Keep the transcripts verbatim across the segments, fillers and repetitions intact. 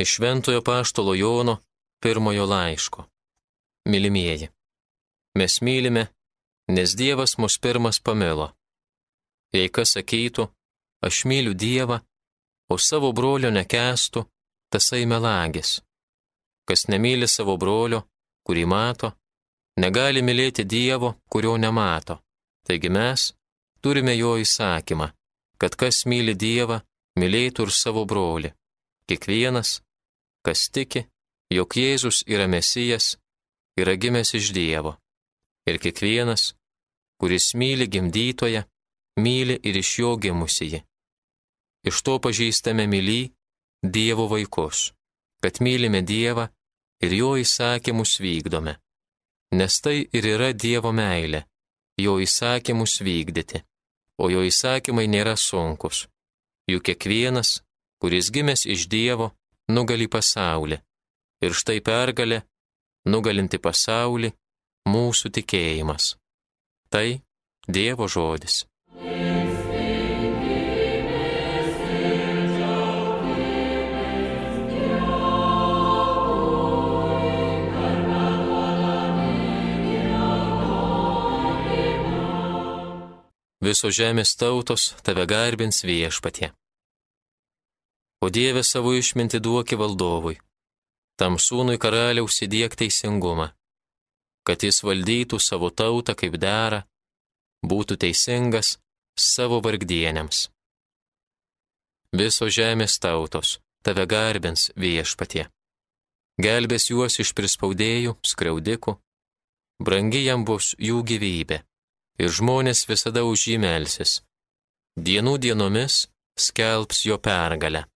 Iš Šventojo Apaštalo Jono pirmojo laiško. Mylimieji, mes mylime, nes Dievas mus pirmas pamilo. Jei kas sakytų, aš myliu Dievą, o savo brolio nekęstų, tasai melagis. Kas nemyli savo brolio, kurį mato, negali mylėti Dievo, kurio nemato. Taigi mes turime jo įsakymą, kad kas myli Dievą, mylėtų ir savo brolį. Kiekvienas, kas tiki, jog Jėzus yra Mesijas, yra gimęs iš Dievo. Ir kiekvienas, kuris myli gimdytoją, myli ir iš jo gimusįjį. Iš to pažįstame mylį Dievo vaikus, kad mylime Dievą ir jo įsakymus vykdome. Nes tai ir yra Dievo meilė, jo įsakymus vykdyti, o jo įsakymai nėra sunkus. Juk kiekvienas, kuris gimęs iš Dievo, nugali pasaulį. Ir štai pergalė, nugalinti pasaulį, mūsų tikėjimas. Tai Dievo žodis. Visos žemės tautos tave garbins Viešpatie. O Dieve savo išmintį duoki valdovui, tam sūnui karaliaus įdiek teisingumą, kad jis valdytų savo tautą kaip dera, būtų teisingas savo vargdieniams. Visos žemės tautos tave garbins Viešpatie. Gelbės juos iš prispaudėjų, skriaudikų, brangi jam bus jų gyvybė, ir žmonės visada už jį melsis. Dienų dienomis skelbs jo pergalę.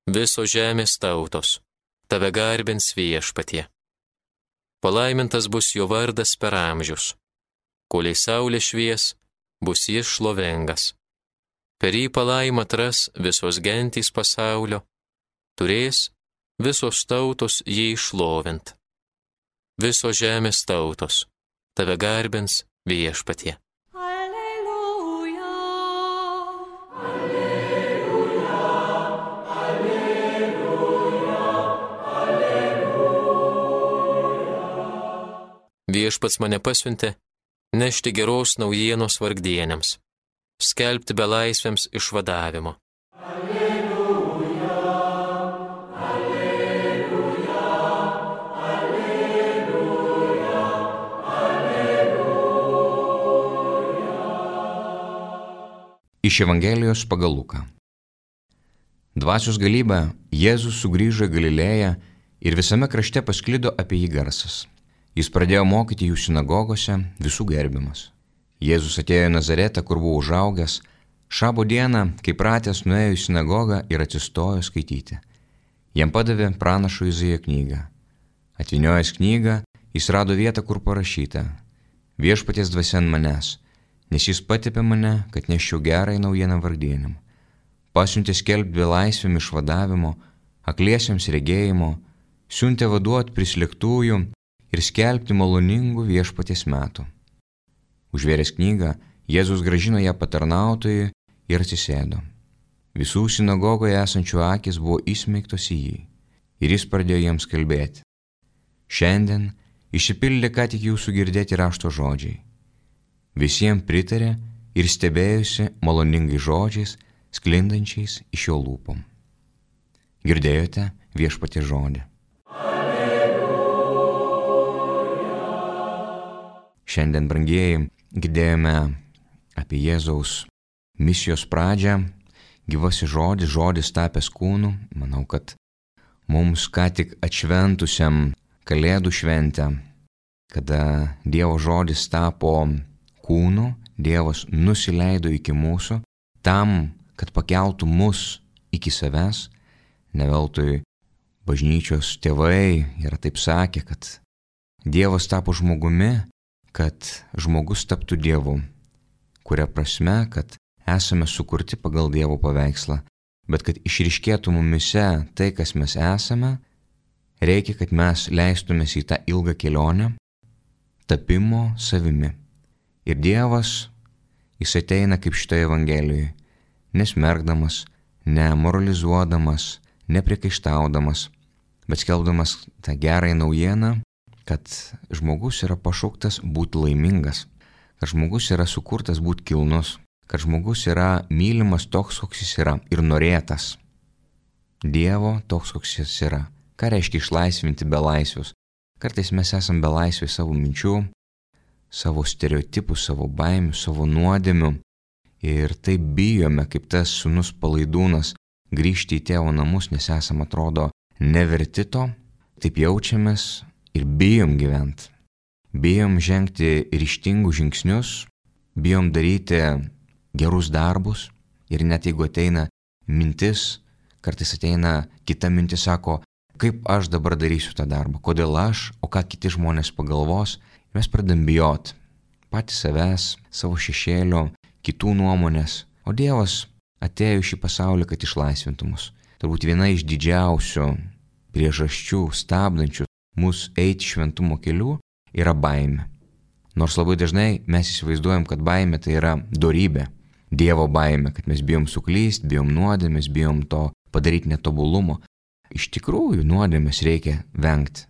Visos žemės tautos tave garbins Viešpatie. Palaimintas bus jo vardas per amžius. Kolei saulė švies, bus jis šlovingas. Per jį palaimą atras visos gentys pasaulio, turės visos tautos jį šlovint. Visos žemės tautos tave garbins Viešpatie. Viešpats mane pasiuntė nešti geros naujienos vargdieniams, skelbti belaisviams išvadavimo. Alleluja, alleluja, alleluja, alleluja. Iš Evangelijos pagal Luką. Dvasios galybę Jėzus sugrįžo į Galilėją ir visame krašte pasklido apie jį garsas. Jis pradėjo mokyti jų sinagogose, visų gerbiamas. Jėzus atėjo į Nazaretą, kur buvo užaugęs, šabo dieną, kai pratęs nuėjo į sinagogą ir atsistojo skaityti. Jam padavė pranašo Izaijo knygą. Atvyniojęs knygą, jis rado vietą, kur parašyta: Viešpaties dvasia ant manęs, nes jis patepė mane, kad neščiau gerąją naujieną vargdieniam. Pasiuntė skelbti belaisviam išvadavimo, akliesiems regėjimo, siuntė vaduot prislėgtųjų ir skelbti maloningų Viešpaties metų. Užvėręs knygą, Jėzus grąžino ją patarnautojui ir atsisėdo. Visų sinagogoje esančių akys buvo įsmeigtos į jį, ir jis pradėjo jiems kalbėti: Šiandien išsipildė ką tik jūsų girdėti rašto žodžiai. Visiems pritarė ir stebėjusi maloningai žodžiais, sklindančiais iš jo lūpom. Girdėjote Viešpaties žodį. Šiandien, brangieji, girdėjome apie Jėzaus misijos pradžią, gyvasis žodis, žodis tapęs kūnu. Manau, kad mums ką tik atšventusiam Kalėdų šventę, kada Dievo žodis tapo kūnu, Dievas nusileido iki mūsų, tam, kad pakeltų mus iki savęs. Ne veltui bažnyčios tėvai yra taip sakę, kad Dievas tapo žmogumi, kad žmogus taptų Dievu, kuria prasme, kad esame sukurti pagal Dievo paveikslą, bet kad išryškėtų mumise tai, kas mes esame, reikia, kad mes leistumės į tą ilgą kelionę tapimo savimi. Ir Dievas, jis ateina kaip šitoje Evangelijoje, nesmergdamas, nemoralizuodamas, nepriekaištaudamas, bet skelbdamas tą gerąją naujieną, kad žmogus yra pašauktas būti laimingas, kad žmogus yra sukurtas būti kilnus, kad žmogus yra mylimas toks, koks jis yra ir norėtas Dievo toks, koks jis yra. Ką reiškia išlaisvinti belaisvius? Kartais mes esam belaisviai savo minčių, savo stereotipų, savo baimių, savo nuodėmių ir taip bijome, kaip tas sūnus palaidūnas, grįžti į tėvo namus, nes esam atrodo neverti to, taip jaučiamės ir bijom gyventi. Bijom žengti ryžtingus žingsnius, bijom daryti gerus darbus ir net jeigu ateina mintis, kartais ateina kita mintis, sako, kaip aš dabar darysiu tą darbą, kodėl aš, o ką kiti žmonės pagalvos, mes pradedam bijot patys savęs, savo šešėlio, kitų nuomonės, o Dievas atėjo į šį pasaulį, kad išlaisvintų mus. Turbūt viena iš didžiausių priežasčių stabdančių mus eiti šventumo keliu yra baimė. Nors labai dažnai mes įsivaizduojam, kad baimė tai yra dorybė, Dievo baimė, kad mes bijom suklysti, bijom nuodėmės, bijom to padaryti netobulumo. Iš tikrųjų, nuodėmės reikia vengti.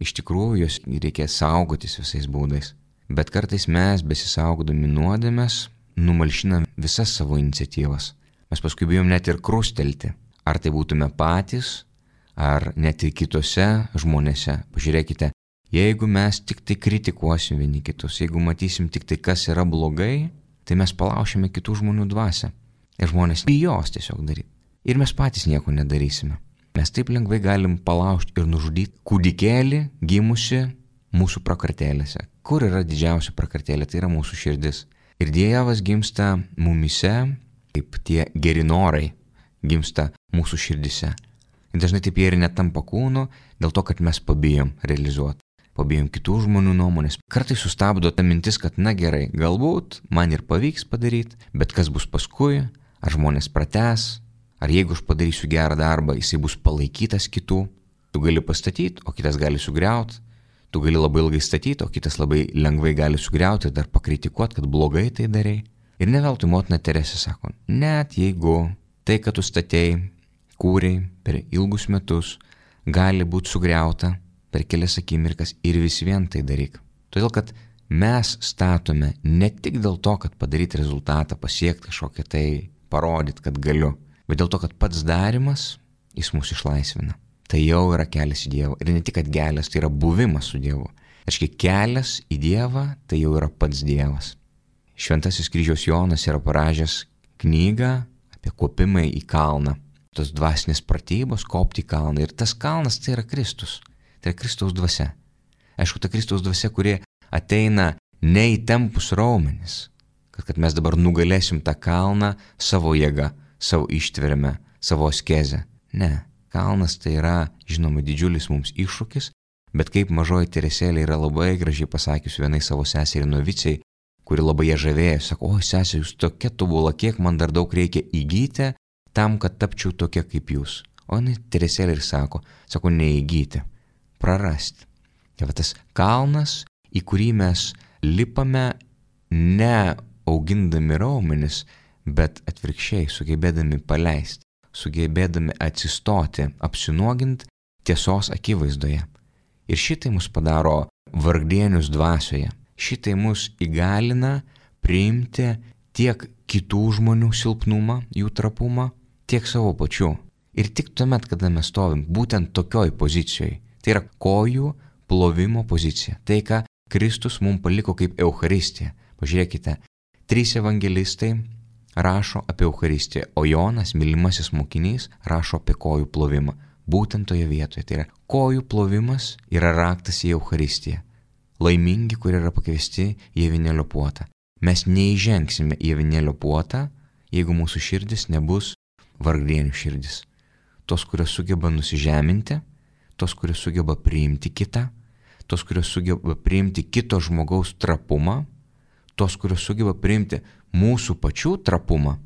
Iš tikrųjų, jos reikia saugotis visais būdais. Bet kartais mes, besisaugodami nuodėmės, numalšinam visas savo iniciatyvas. Mes paskui bijom net ir krustelti. Ar tai būtume patys, ar net ir kitose žmonėse. Pažiūrėkite, jeigu mes tik tai kritikuosim vieni kitus, jeigu matysim tik tai, kas yra blogai, tai mes palaušime kitų žmonių dvasią. Ir žmonės bijos tiesiog daryti. Ir mes patys nieko nedarysime. Mes taip lengvai galim palaužti ir nužudyti kūdikėlį gimusi mūsų prakartėlėse. Kur yra didžiausia prakartėlė? Tai yra mūsų širdis. Ir Dievas gimsta mumise, kaip tie geri norai gimsta mūsų širdise. Ir dažnai taip jie ir netampa kūnu, dėl to, kad mes pabijom realizuoti. Pabijom kitų žmonių nuomonės. Kartais sustabdo ta mintis, kad na gerai, galbūt man ir pavyks padaryti, bet kas bus paskui, ar žmonės pratęs, ar jeigu aš padarysiu gerą darbą, jisai bus palaikytas kitų. Tu gali pastatyti, o kitas gali sugriauti. Tu gali labai ilgai statyti, o kitas labai lengvai gali sugriauti ir dar pakritikuoti, kad blogai tai darai. Ir ne veltui motina Teresė sako, net jeigu tai, kad tu statėjai, kūrei per ilgus metus, gali būti sugriauta per kelias akimirkas ir vis vien tai daryk. Todėl, kad mes statome ne tik dėl to, kad padaryti rezultatą, pasiekti kažkokią tai, parodyti, kad galiu, bet dėl to, kad pats darimas, jis mus išlaisvina. Tai jau yra kelias į Dievą. Ir ne tik, kad kelias, tai yra buvimas su Dievu. Aiškiai, kelias į Dievą, tai jau yra pats Dievas. Šventasis kryžiaus Jonas yra parašęs knygą apie kopimą į kalną. Tos dvasinės pratybos, kopti į kalną. Ir tas kalnas tai yra Kristus. Tai yra Kristaus dvasia. Aišku, ta Kristaus dvasia, kuri ateina ne į tempus raumenis, kad, kad mes dabar nugalėsim tą kalną savo jėgą, savo ištverime, savo askezę. Ne, kalnas tai yra, žinoma, didžiulis mums iššūkis, bet kaip mažoji Teresėlė yra labai gražiai pasakius vienai savo seseriai novicei, kuri labai ją žavėjo, sako, oi sesė, jūs tokia tobula, kiek man dar daug reikia įgyti tam, kad tapčiau tokia kaip jūs. O jinai Teresėlė ir sako, sako, neįgyti, prarasti. Tai va tas kalnas, į kurį mes lipame ne augindami raumenis, bet atvirkščiai sugebėdami paleisti, sugebėdami atsistoti, apsinuogint tiesos akivaizdoje. Ir šitai mus padaro vargdienius dvasioje. Šitai mus įgalina priimti tiek kitų žmonių silpnumą, jų trapumą, tiek savo pačių. Ir tik tuomet, kada mes stovim būtent tokioj pozicijoje, tai yra kojų plovimo pozicija. Tai, ką Kristus mums paliko kaip Eucharistija. Pažiūrėkite, trys evangelistai rašo apie Eucharistiją, o Jonas, mylimasis mokinys, rašo apie kojų plovimą. Būtent toje vietoje. Tai yra, kojų plovimas yra raktas į Eucharistiją. Laimingi, kurie yra pakviesti į avinėlio puotą. Mes neįžengsime į avinėlio puotą, jeigu mūsų širdis nebus vargdienių širdis. Tos, kurios sugeba nusižeminti, tos, kurios sugeba priimti kitą, tos, kurios sugeba priimti kito žmogaus trapumą, tos, kurios sugeba priimti mūsų pačių trapumą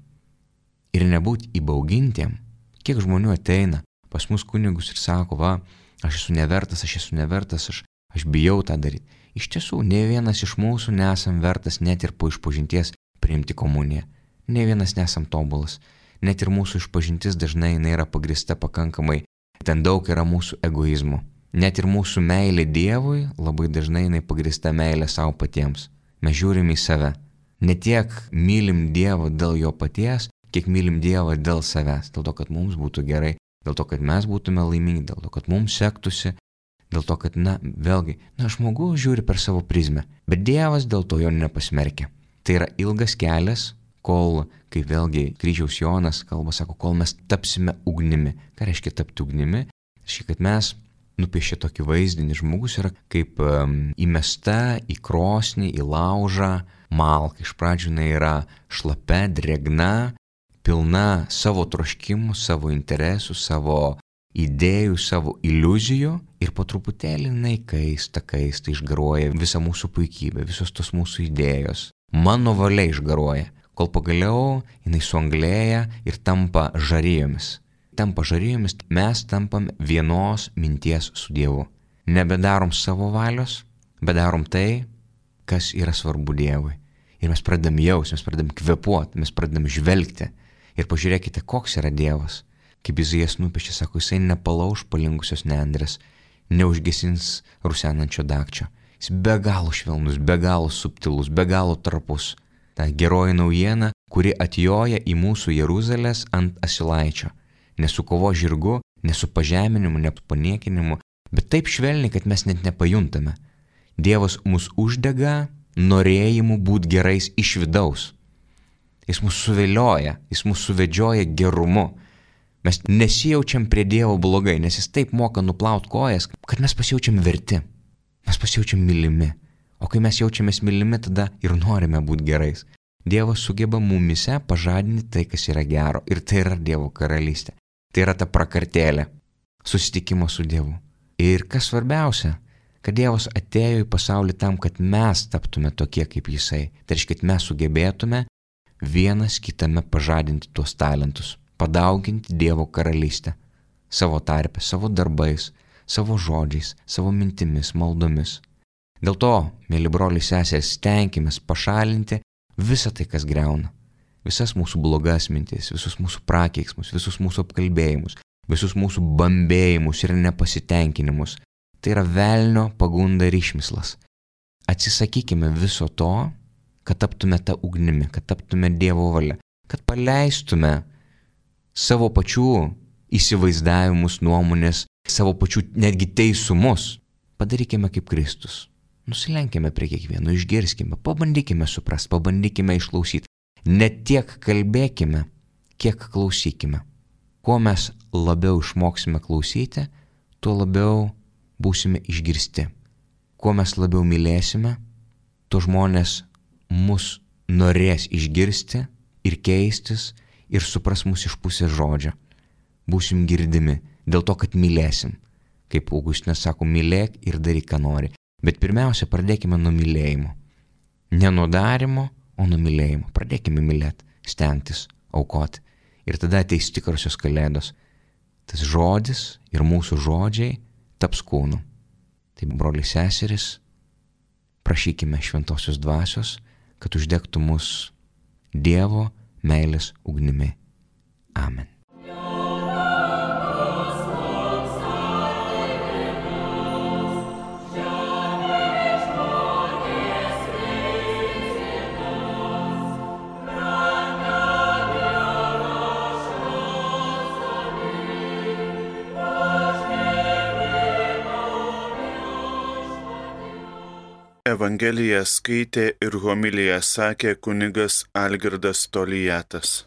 ir nebūti įbaugintiem. Kiek žmonių ateina pas mus kunigus ir sako, va, aš esu nevertas, aš esu nevertas, aš, aš bijau tą daryti. Iš tiesų, ne vienas iš mūsų nesam vertas net ir po išpažinties priimti komuniją. Ne vienas nesam tobulas. net ir mūsų išpažintis dažnai jinai yra pagrista pakankamai, ten daug yra mūsų egoizmo. Net ir mūsų meilė Dievui labai dažnai jinai pagrista meilė savo patiems. Mes žiūrim į save. Ne tiek mylim Dievą dėl jo paties, kiek mylim Dievą dėl savęs. Dėl to, kad mums būtų gerai, dėl to, kad mes būtume laimingi, dėl to, kad mums sektųsi, dėl to, kad, na, vėlgi, na, žmogus žiūri per savo prizmę, bet Dievas dėl to jo nepasmerkia. Tai yra ilgas kelias, kol, kaip vėlgi kryžiaus Jonas kalba, sako, kol mes tapsime ugnimi. Ką reiškia tapti ugnimi? Reiškia, kad mes nupiešė tokį vaizdinį, žmogus yra kaip um, įmesta į krosnį, į laužą malka. Iš pradžių jinai yra šlapia, drėgna, pilna savo troškimų, savo interesų, savo idėjų, savo iliuzijų ir po truputėlį jinai kaista, kaista, išgaruoja visa mūsų puikybė, visos tos mūsų idėjos. Mano valia išgaruoja, kol pagaliau jinai suanglėja ir tampa žarijomis. Tampa žarijomis, mes tampam vienos minties su Dievu. Nebedarom savo valios, bet darom tai, kas yra svarbu Dievui. Ir mes pradedam jausti, mes pradedam kvėpuoti, mes pradedam žvelgti. Ir pažiūrėkite, koks yra Dievas. Kaip Izaijas nupiešė, sako, jisai nepalauš palinkusios nendrės, neužgesins rusenančio dagčio. Jis be galo švelnus, be galo subtilus, be galo trapus. Ta geroji naujiena, kuri atjoja į mūsų Jeruzalės ant asilaičio. Ne su kovo žirgu, ne su pažeminimu, ne su paniekinimu, bet taip švelniai, kad mes net nepajuntame. Dievas mus uždega norėjimu būti gerais iš vidaus. Jis mus suvilioja, jis mus suvedžioja gerumu. Mes nesijaučiam prie Dievo blogai, nes jis taip moka nuplaut kojas, kad mes pasijaučiam verti. Mes pasijaučiam mylimi. O kai mes jaučiamės mylimi, tada ir norime būti gerais. Dievas sugeba mumise pažadinti tai, kas yra gero. Ir tai yra Dievo karalystė. Tai yra ta prakartėlė, susitikimo su Dievu. Ir kas svarbiausia, kad Dievas atėjo į pasaulį tam, kad mes taptume tokie kaip Jisai. Tai reiškia, kad mes sugebėtume vienas kitame pažadinti tuos talentus, padauginti Dievo karalystę savo tarpe, savo darbais, savo žodžiais, savo mintimis, maldomis. Dėl to, mėly broliai seserys, stenkimės pašalinti visą tai, kas greuna. Visas mūsų blogas mintis, visus mūsų prakeiksmus, visus mūsų apkalbėjimus, visus mūsų bambėjimus ir nepasitenkinimus. Tai yra velnio pagunda ir išmislas. Atsisakykime viso to, kad taptume tą ugnimi, kad taptume Dievo valia, kad paleistume savo pačių įsivaizdavimus, nuomonės, savo pačių netgi teisumus. Padarykime kaip Kristus. Nusilenkime prie kiekvieno, išgirskime, pabandykime suprasti, pabandykime išklausyti. Ne tiek kalbėkime, kiek klausykime. Kuo mes labiau išmoksime klausyti, tuo labiau būsime išgirsti. Kuo mes labiau mylėsime, tuo žmonės mus norės išgirsti ir keistis ir supras mus iš pusės žodžio. Būsim girdimi dėl to, kad mylėsim. Kaip Augustinas sako, mylėk ir daryk, ką nori. Bet pirmiausia, pradėkime nuo mylėjimo. Ne nuo darimo, o nuo mylėjimo. Pradėkime mylėti, stengtis, aukoti. Ir tada ateis tikrosios kalėdos. Tas žodis ir mūsų žodžiai taps kūnu. Tai, broliai seserys, prašykime šventosios dvasios, kad uždegtų mus Dievo meilės ugnimi. Amen. Evangeliją skaitė ir homiliją sakė kunigas Algirdas Toliatas.